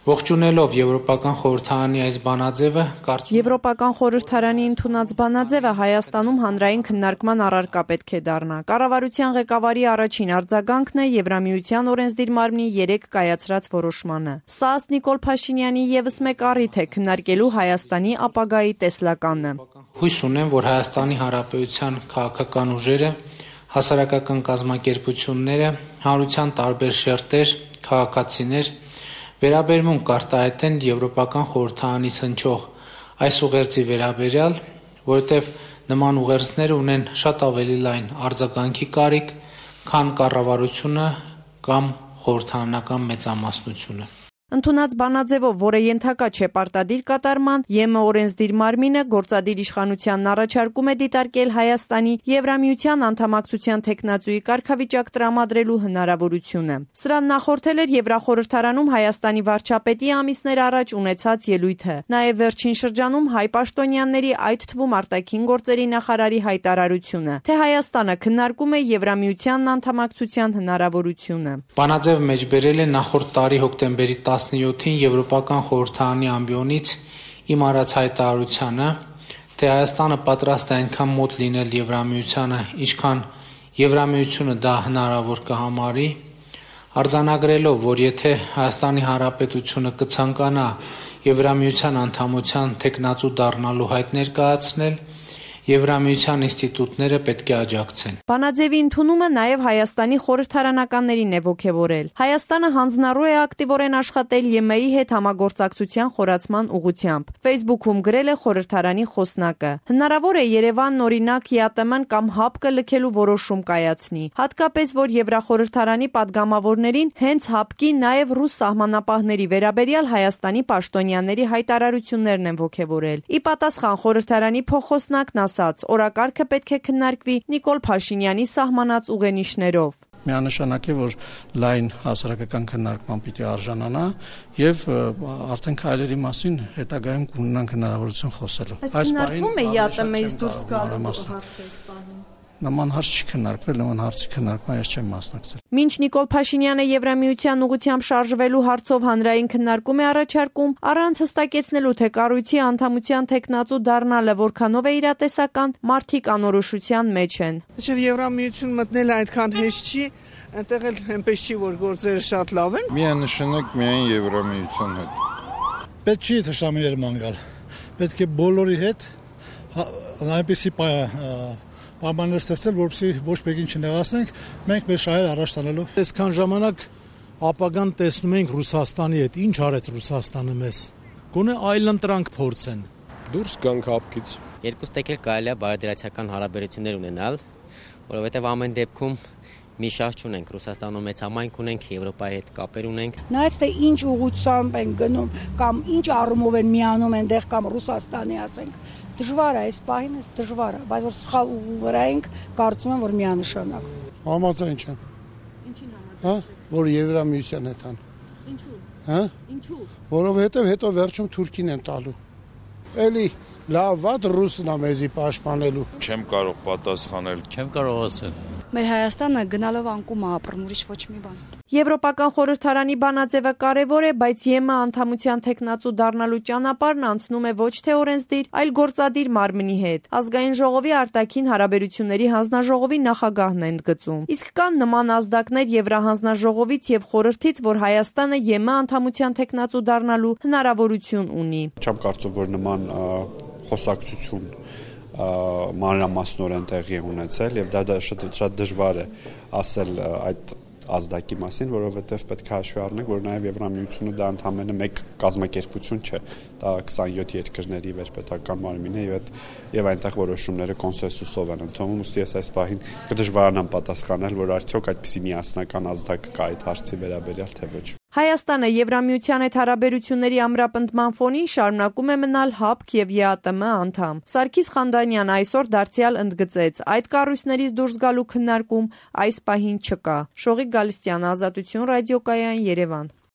Ողջունելով Եվրոպական խորհրդարանի այս բանաձևը, Եվրոպական խորհրդարանի ընդունած բանաձևը Հայաստանում հանրային քննարկման առարկա պետք է դառնա։ Կառավարության ղեկավարի առաջին արձագանքն է Եվրամիության օրենսդիր մարմնի 3 կայացրած որոշմանը։ Սա ըստ Նիկոլ Փաշինյանի եւս մեկ առիթ է քննարկելու Հայաստանի ապագայի տեսլականը։ Հույս ունեմ, որ Հայաստանի Հանրապետության քաղաքական ուժերը, հասարակական կազմակերպությունները, հանրության տարբեր շերտեր, քաղաքացիներ վերաբերմունք կարտահայտեն Եվրոպական խորհրդարանից հնչող այս ուղերձի վերաբերյալ, որովհետև նման ուղերձները ունեն շատ ավելի լայն արձագանքի կարիք, քան կառավարությունը կամ խորհրդարանական մեծամասնությունը։ Ընդունած բանաձևով, որը ենթակա չէ պարտադիր կատարման, ԵՄ օրենսդիր մարմինը գործադիր իշխանությանն առաջարկում է դիտարկել Հայաստանի Եվրամիության անդամակցության թեկնածուի կարգավիճակ տրամադրելու հնարավորությունը։ Սրան նախորդել էր Եվրախորհրդարանում Հայաստանի վարչապետի ամիսներ առաջ ունեցած ելույթը։ Նաև վերջին շրջանում հայ պաշտոնյաների, այդ թվում արտաքին գործերի նախարարի հայտարարությունը, թե Հայաստանը քննարկում է Եվրամիությանն անդամակցության հնարավորությունը։ Բանաձևը մեջբերել է նախորդ տարի հոկտեմբերի 17-ին Եվրոպական խորհրդարանի ամբիոնից իմ արած հայտարարությանը, թե Հայաստանը պատրաստ է այնքան մոտ լինել Եվրամիությանը, ինչքան Եվրամիությունը դա հնարավոր կհամարի, արձանագրելով, որ եթե Հայաստանի Հանրապետությունը կցանկանա Եվրամիության անդամության թեկնածու դառնալու հայտ ներկայացնել, Եվրամիության ինստիտուտները պետք է աջակցեն։ Բանաձևի ընդունումը նաև Հայաստանի խորհրդարանականներին է ոգևորել։ Հայաստանը հանձնառու է ակտիվորեն աշխատել ԵՄ-ի հետ համագործակցության խորացման ուղղությամբ։ Facebook-ում գրել է խորհրդարանի խոսնակը։ Հնարավոր է Երևանն օրինակ ԵԱՏՄ-ն կամ ՀԱՊԿ-ը լքելու որոշում կայացնի, հատկապես որ Եվրախորհրդարանի падգամավորներին հենց ՀԱՊԿ-ի նաև ռուս սահմանապահների վերաբերյալ Հայաստանի պաշտոնյաների հայտարարություններն են ոգևորել։ Ի պատասխան խորհրդարանի փոխխոսնակն օրակարգը պետք է քննարկվի Նիկոլ Փաշինյանի սահմանած ուղենիշներով։ Միանշանակ է, որ լայն հասարակական քննարկման պիտի արժանանա եւ արդեն քայլերի մասին հետագայում կունենանք հնարավորություն խոսելու։ Այս քննարկվում է ԵԱՏՄ-ից դուրս գալու հարցը սպառնում։ Նման հարց չի քննարկվել, նման հարցի քննարկման ես չեմ մասնակցել։ Մինչ Նիկոլ Փաշինյանը Եվրամիության ուղղությամբ շարժվելու հարցով հանրային քննարկում է առաջարկում, առանց հստակեցնելու, թե կառույցի անդամության թեկնածու դառնալը որքանով է իրատեսական, մարդիկ անորոշության մեջ են։ Մինչև Եվրամիություն մտնելը այդքան հեշտ չի, այնտեղ էլ այնպես չի, որ գործերը շատ լավ են։ Միանշանակ միայն Եվրամիության հետ։ Պետք չի թշնամիներ ման գալ։ Պետք է բոլորի հետ այնպեսի պայմաններ ստեղծել, որպեսզի ոչ մեկին չնեղացնենք, մենք մեր շահերը առաջ տանելով։ Այսքան ժամանակ ապագան տեսնում ենք Ռուսաստանի հետ, ինչ արեց Ռուսաստանը մեզ։ Գոնե այլընտրանք փորձեն։ Դուրս գանք ՀԱՊԿ-ից։ Երկուս տեղ կարելի է բարեդրացիական հարաբերություններ ունենալ, որովհետև ամեն դեպքում մի շահ չունենք, Ռուսաստանում մեծ համայնք ունենք, Եվրոպայի հետ կապեր ունենք։ Նայած թե ինչ ուղղությամբ են գնում կամ ինչ առումով են միանում այնտեղ կամ Ռուսաստանի ասենք, դժվար է այս պահին, դժվար է, բայց որ սխալ ուղու վրա ենք, կարծում եմ, որ միանշանակ։ Համաձայն չեմ։ Ինչին համաձայն։ Հա, որ Եվրամիության հետ են։ Ինչու։ Հա։ Ինչու։ Որովհետև հետո վերջում Թուրքին են տալու։ Էլի լավ վատ ռուսն է մեզի պաշտպանելու։ Չեմ կարող պատասխանել։ Չեմ կարող ասել։ Մեր Հայաստանը գնալով անկում է ապրում, ուրիշ ոչ մի բան։ Եվրոպական խորհրդարանի բանաձևը կարևոր է, բայց ԵՄ անդամության թեկնածու դառնալու ճանապարհն անցնում է ոչ թե օրենսդիր, այլ գործադիր մարմնի հետ։ Ազգային ժողովի արտաքին հարաբերությունների հանձնաժողովի նախագահն է ընդգծում։ Իսկ կան նման ազդակներ Եվրահանձնաժողովից եւ խորհրդից, որ Հայաստանը ԵՄ անդամության թեկնածու դառնալու հնարավորություն ունի։ Չեմ կարծում, որ նման խոսակցություն մանրամասնորեն տեղի ունեցել եւ դա շատ դժվար է ասել այդ ազդակի մասին, որովհետև պետք է հաշվի առնենք, որ նաև Եվրամիությունը դա ընդամենը մեկ կազմակերպություն չէ, դա 27 երկրների վերպետական մարմին է եւ այնտեղ որոշումները կոնսենսուսով են ընդունվում, ուստի ես այս պահին կդժվարանամ պատասխանել, որ արդյոք այդպիսի միասնական ազդակ կա այդ հարցի վերաբերյալ թե ոչ։ Հայաստանը Եվրամիության հետ հարաբերությունների ամրապնդման ֆոնին շարունակում է մնալ ՀԱՊԿ եւ ԵԱՏՄ անդամ։ Սարգիս Խանդանյանը այսօր դարձյալ ընդգծեց, այդ կառույցներից դուրս գալու քննարկում այս պահին չկա։ Շողիկ Գալստյան, Ազատություն ռադիոկայան, Երևան։